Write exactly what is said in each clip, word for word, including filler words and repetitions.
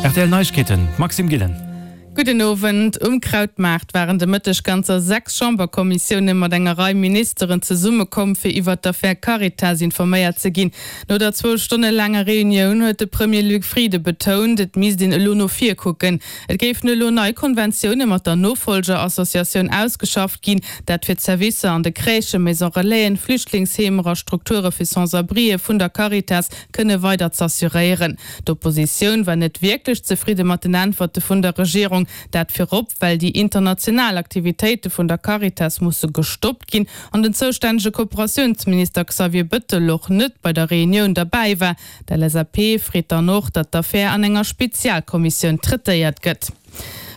R T L Neiegkeeten, Maxime Gillen. Gudden Owend. Um Krautmaart waren de Mëtteg ganzer sechs Chamberkommissioune mat enger Rei Ministeren zesummekomm, fir iwwert d'Affär Caritas informéiert ze ginn. No der zwou Stonne laanger Reunioun huet de Premier Luc Frieden betount, et misst een elo no vir kucken. Et géifen elo nei Konventioune mat der Nofollger-Associatioun ausgeschafft ginn, dat fir d'Servicer an de Crèchen, Maison Relaisen, Flüchtlingsheemer a Strukture fir Sans-abrien vun der Caritas kënne weider z'assuréieren. D'Oppositioun war net wierklech zefridde mat den Äntwerte vun der Regierung, dat virop well déi international Aktivitéite vun der Caritas musse gestoppt ginn an den zoustännege Kooperatiounsminister Xavier Bëttel och net bei der Reunioun derbäi war. D'L S A P freet dann och, datt d'Affär an enger Spezialkommissioun traitéiert gëtt.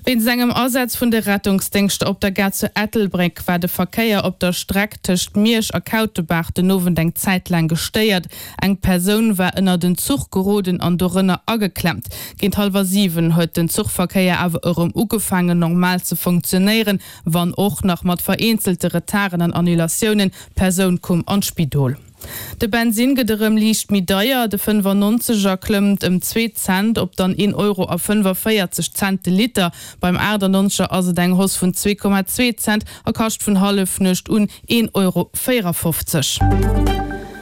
Wéinst engem Asaz vun de Rettungsdéngschter op der Gare zu Ettelbréck war de Verkéier op der Streck tëscht Miersch a Kautebaach den Owend eng Zäit laang gestéiert. Eng Persoun war ënnert en Zuch geroden an dorënner ageklemmt. Géint hallwer siwen huet den Zuchverkéier awer erëm ugefaangen normal ze funktionéieren, wann och nach mat vereenzelte Retarden an Annulatiounen. D'Persoun koum an d'Spidol. De Bensinn gëtt erëm liicht méi deier, de fënnefannonzeger klëmmt ëm zwee Cent op dann een Euro a fënnefavéierzeg Cent de Liter. Beim aachtannonzeger ass et eng Hausse vun zwee Komma zwee Cent a kascht vun Hallefnuecht un een Euro véierafofzeg.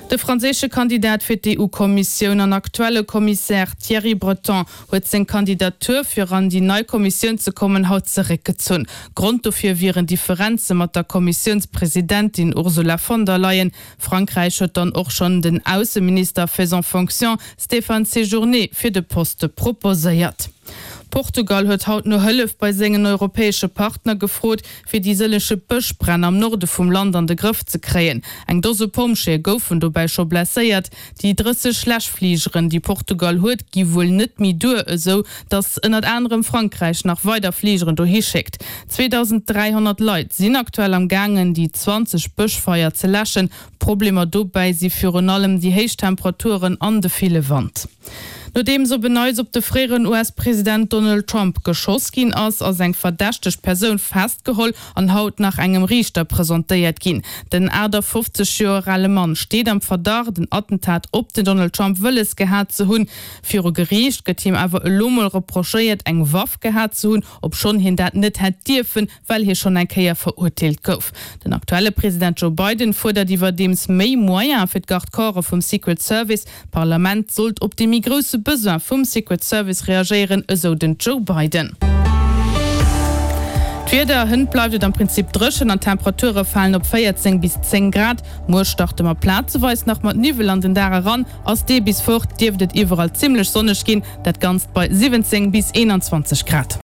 De franséische Kandidat fir d'E U-Kommissioun an aktuelle Kommissär Thierry Breton huet seng Kandidatur fir an déi nei Kommissioun ze kommen haut zeréckgezunn. Grond dofir wieren Differenze mat der Kommissiounspresidentin Ursula von der Leyen. Frankräich huet dann och schonn den Ausseminister faisant fonction Stéphane Séjourné fir de Poste proposéiert. Portugal huet haut no Hëllef bei sengen europäesche Partner gefrot, fir déi sëllege Bëschbränn am Norde vum Land an de Grëff ze kréien. Eng Dose Pompjeeë goufen dobäi scho blesséiert. Déi drësseg Läschfligeren, déi Portugal huet, gi wuel net méi duer, esou datt ënnert anerem Frankräich nach weider Fligeren dohi schéckt. zweedausend dräihonnert Leit sinn aktuell am gaangen, déi zwanzeg Bëschfeier ze läschen. Problemer dobäi si virun allem déi héich Temperaturen an de ville Wand. Nodeems op en Neits op de fréieren U S-President Donald Trump geschoss ginn ass, ass eng verdächteg Persoun festgeholl an haut nach engem Riichter presentéiert ginn. Den aachtafofzeg Joer ale Mann steet am Verdacht, en Attentat op den Donald Trump wëlles gehat ze hunn. Viru Geriicht gëtt him awer elo mol reprochéiert, eng Waff gehat ze hunn, obschonn hien dat net hätt dierfen, well hie schonn eng Kéier verurteelt gouf. Den aktuelle President Joe Biden fuerdert iwwerdeems méi Moyene fir d'Garde-corpse vum Secret Service. D'Parlament sollt op de méi grousse Besoin vum Secret Service reagéieren, esou den Joe Biden. D'Wieder, Hënt bleift et am Prinzip dréchen an d'Temperature falen op véierzéng bis zéng Grad. Muer starte mer plazeweis nach mat Niwwel an den Dag eran, ass dee bis fort, dierft et iwwerall zimmlech sonneg ginn, dat Ganzt bei siwwenzéng bis eenanzwanzeg Grad.